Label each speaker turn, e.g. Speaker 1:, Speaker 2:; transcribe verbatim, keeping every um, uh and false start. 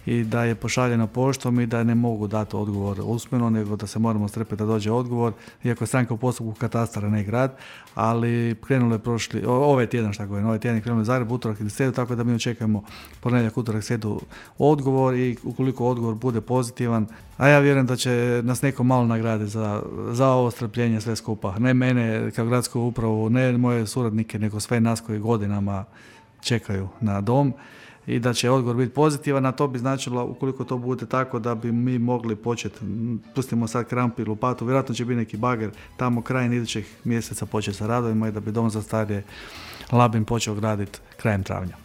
Speaker 1: i da je pošaljeno poštom i da ne mogu dati odgovor usmeno, nego da se moramo strpiti da dođe odgovor, iako je stranka u postupku katastara, ne grad, ali krenulo je prošli, ovaj tjedan, šta govorim, ovaj tjedan je krenulo u Zagreb, utorak ili srijedu, tako da mi očekujemo ponedjeljak, utorak, srijedu odgovor i ukoliko odgovor bude pozitivan, a ja vjerujem da će nas neko malo nagrade za, za ovo strpljenje sve skupa. Ne mene kao gradsku upravu, ne moje suradnike, nego sve nas koji godinama čekaju na dom i da će odgovor biti pozitivan, a to bi značilo, ukoliko to bude tako, da bi mi mogli početi, pustimo sad krampu i lopatu, vjerojatno će biti neki bager tamo krajem idućeg mjeseca početi sa radovima i da bi dom za starije Labin počeo graditi krajem travnja.